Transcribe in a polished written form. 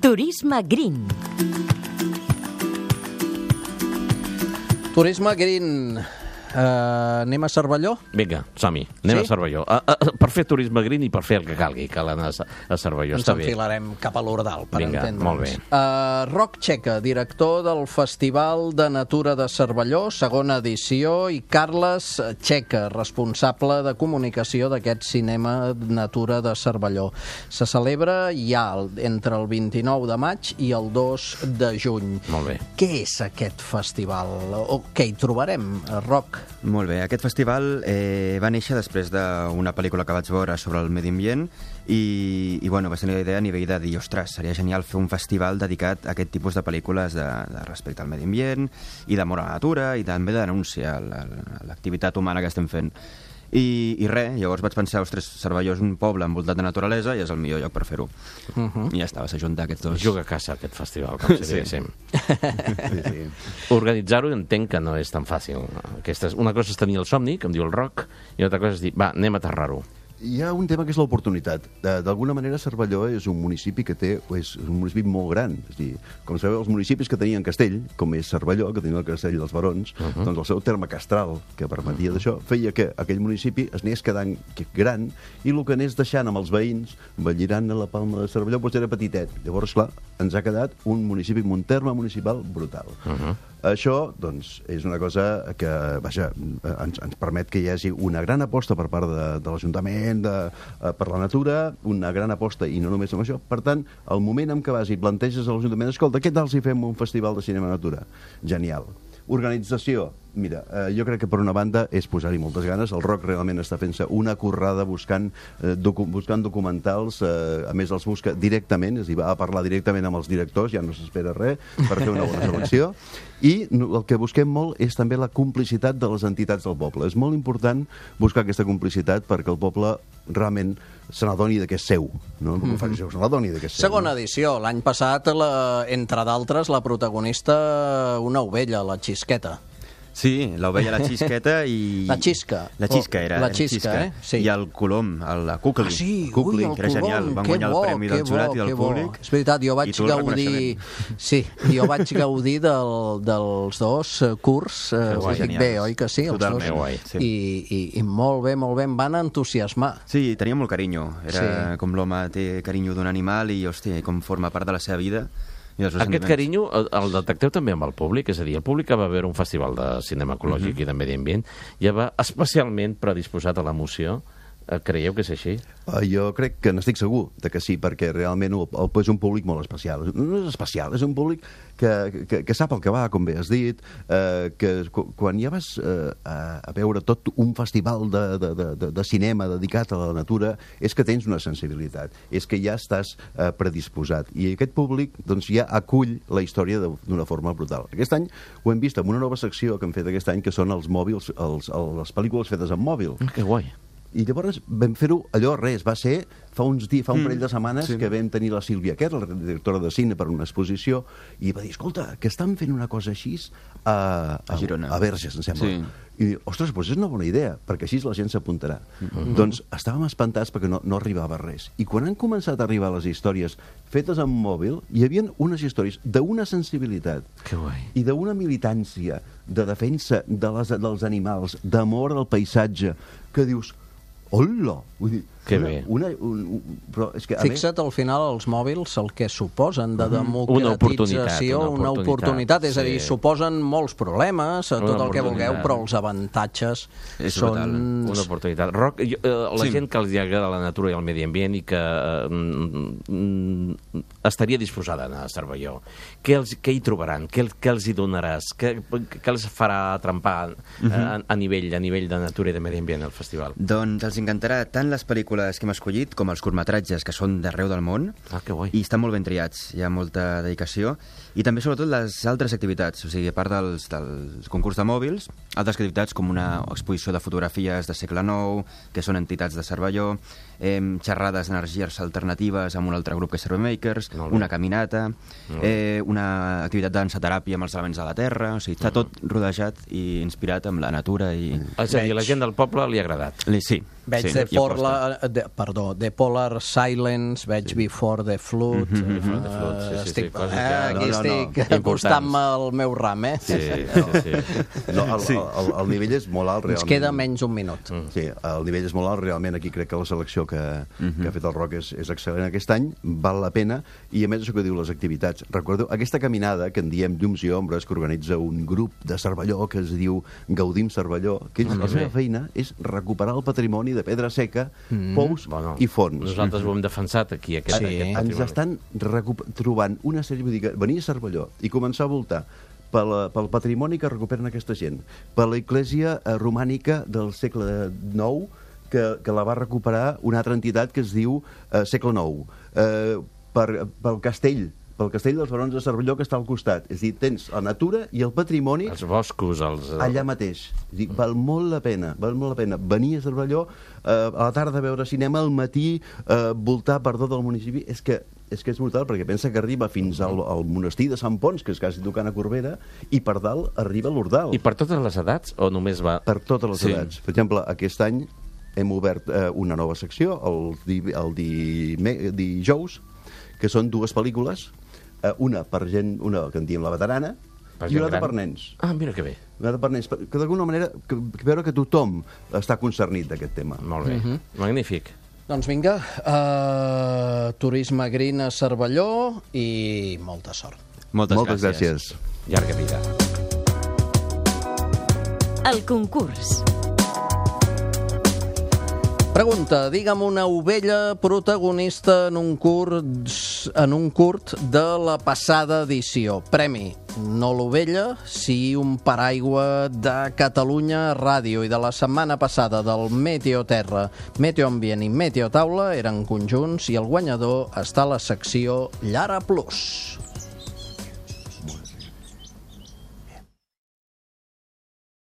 Turisme Green. Turisme Green. Anem a Cervelló? Vinga, som-hi. Anem a Cervelló. Per fer turisme green i per fer el que calgui. Cal anar a Cervelló. Ens enfilarem cap a l'Ordal, per entendre'ns. Molt bé. Roc Checa, director del Festival de Natura de Cervelló, segona edició, i Carles Checa, responsable de comunicació d'aquest Cinema Natura de Cervelló. Se celebra ja entre el 29 de maig i el 2 de juny. Molt bé. Què és aquest festival? O què hi trobarem, Roc? Molt bé, aquest festival va néixer després d'una pel·lícula que vaig veure sobre el medi ambient i bueno, vaig tenir la idea a nivell de dir, ostres, seria genial fer un festival dedicat a aquest tipus de pel·lícules de respecte al medi ambient i d'amor a la natura i també de denúncia a l'activitat humana que estem fent. I res, llavors vaig pensar, ostres, Cervelló és un poble envoltat de naturalesa i és el millor lloc per fer-ho. I ja està, vas ajuntar aquests dos. Juga a caça, aquest festival, com si diguéssim. Organitzar-ho entenc que no és tan fàcil. Una cosa és tenir el somni, que em diu el Roc, i una altra cosa és dir, va, anem a aterrar-ho. Hi ha un tema que és l'oportunitat. D'alguna manera, Cervelló és un municipi que és un municipi molt gran. És a dir, com sabeu, els municipis que tenien castell, com és Cervelló, que tenia el castell dels Barons, doncs el seu terme castral, que permetia d'això, feia que aquell municipi es anés quedant gran i el que anés deixant amb els veïns, envellirant a la Palma de Cervelló, doncs era petitet. Llavors, clar, ens ha quedat un municipi amb un terme municipal brutal. Això, doncs, és una cosa que, vaja, ens permet que hi hagi una gran aposta per part de l'Ajuntament per la natura, una gran aposta, i no només amb això. Per tant, el moment en què vas i planteges a l'Ajuntament, escolta, què tal si fem un festival de cinema natura? Genial. Organització. Mira, jo crec que per una banda és posar-hi moltes ganes. El Roc realment està fent-se una currada buscant documentals, a més els busca directament, és a dir, va a parlar directament amb els directors, ja no s'espera res per fer una bona selecció, i el que busquem molt és també la complicitat de les entitats del poble. És molt important buscar aquesta complicitat perquè el poble realment se n'adoni que és seu, no? Se n'adoni que és seu. Segona edició. L'any passat, entre d'altres, la protagonista, una ovella, la Xisqueta. Sí, l'ovella, la Xisqueta i... La Xisca. La Xisca era. La Xisca, Sí. I el Colom, la Cucli. Ah, sí, Cucli, el que era Colom, genial. Van guanyar el premi del jurat i del públic. És veritat, jo vaig gaudir... Sí, jo vaig gaudir dels dos curs. Ho dic bé, oi que sí? Totalment guai. I molt bé, em van entusiasmar. Sí, tenia molt carinyo. Era com l'home té carinyo d'un animal i, hòstia, com forma part de la seva vida. Aquest carinyo el detecteu també amb el públic, és a dir, el públic que va veure un festival de cinema ecològic i de medi ambient ja va especialment predisposat a l'emoció. Creieu que és així? Jo crec que n'estic segur que sí, perquè realment és un públic molt especial. No és especial, és un públic que sap el que va, com bé has dit, que quan ja vas a veure tot un festival de cinema dedicat a la natura, és que tens una sensibilitat, és que ja estàs predisposat. I aquest públic doncs, ja acull la història d'una forma brutal. Aquest any ho hem vist amb una nova secció que hem fet aquest any, que són els mòbils, les pel·lícules fetes amb mòbil. Que guai. I llavors vam fer-ho va ser fa un parell de setmanes que vam tenir la Sílvia Kerr, la directora de cine, per una exposició, i va dir, escolta, que estan fent una cosa així a Girona, a Verges, em sembla. I, ostres, doncs és una bona idea, perquè així la gent s'apuntarà. Doncs estàvem espantats perquè no arribava res. I quan han començat a arribar les històries fetes amb mòbil, hi havia unes històries d'una sensibilitat i d'una militància, de defensa dels animals, d'amor al paisatge, que dius, hola! Vull dir, que bé. Però és que, fixa't al final els mòbils el que suposen de democratització, una oportunitat, és a dir, suposen molts problemes, tot el que vulgueu, però els avantatges són... Una oportunitat. Roc, la gent que els agrada la natura i el medi ambient i que estaria disposada a anar a Cervelló, què hi trobaran? Què els hi donaràs? Què els farà trempar a nivell de natura i de medi ambient al festival? Doncs els encantarà tant les pel·lícules que hem escollit com els curtmetratges que són d'arreu del món. Que guai. I estan molt ben triats, hi ha molta dedicació. I també, sobretot, les altres activitats, o sigui, a part del concurs de mòbils, altres activitats com una exposició de fotografies de segle IX, que són entitats de Cervelló, xerrades d'energies alternatives amb un altre grup que és Surveymakers, una caminata, una activitat de dansa-teràpia amb els elements de la terra, o sigui, està tot rodejat i inspirat amb la natura. És a dir, la gent del poble li ha agradat. Sí. Veig de The Polar Silence, veig Before the Flood. Before the Flood, sí, coses que... Aquí estic acostant-me al meu ram, Sí. No, el nivell és molt alt, realment. Ens queda menys un minut. Sí, el nivell és molt alt, realment. Aquí crec que la selecció que ha fet el Roc és excel·lent aquest any, val la pena, i a més això que diu les activitats. Recordeu, aquesta caminada que en diem Llums i Ombres, que organitza un grup de Cervelló que es diu Gaudim Cervelló, que la seva feina és recuperar el patrimoni de pedra seca, pous i fons. Nosaltres ho hem defensat aquí, aquest patrimoni. Ens estan trobant una sèrie, vull dir que venir a Cervelló i començar a voltar pel patrimoni que recuperen aquesta gent, per la església romànica del segle IX, que la va recuperar una altra entitat que es diu segle IX, pel castell dels Barons de Cervelló, que està al costat. És a dir, tens la natura i el patrimoni... Els boscos, allà mateix. És a dir, val molt la pena venir a Cervelló, a la tarda veure cinema, al matí voltar per tot el municipi. És que és brutal, perquè pensa que arriba fins al monestir de Sant Pons, que és quasi tocant a Corbera, i per dalt arriba a l'Ordal. I per totes les edats, o només va... Per totes les edats. Per exemple, aquest any hem obert una nova secció, el dijous, que són dues pel·lícules, una per gent, una que en diem la veterana, i una altra per nens. Ah, mira que bé. Una altra per nens, que d'alguna manera veure que tothom està concernit d'aquest tema. Molt bé, magnífic. Doncs vinga, turisme green a Cervelló i molta sort. Moltes gràcies. Llarga vida. El concurs. Pregunta, digue'm una ovella protagonista en un curt de la passada edició. Premi, no l'ovella, sí un paraigua de Catalunya Ràdio i de la setmana passada del Meteo Terra, Meteo Ambient i Meteo Taula eren conjunts i el guanyador està a la secció Llara Plus.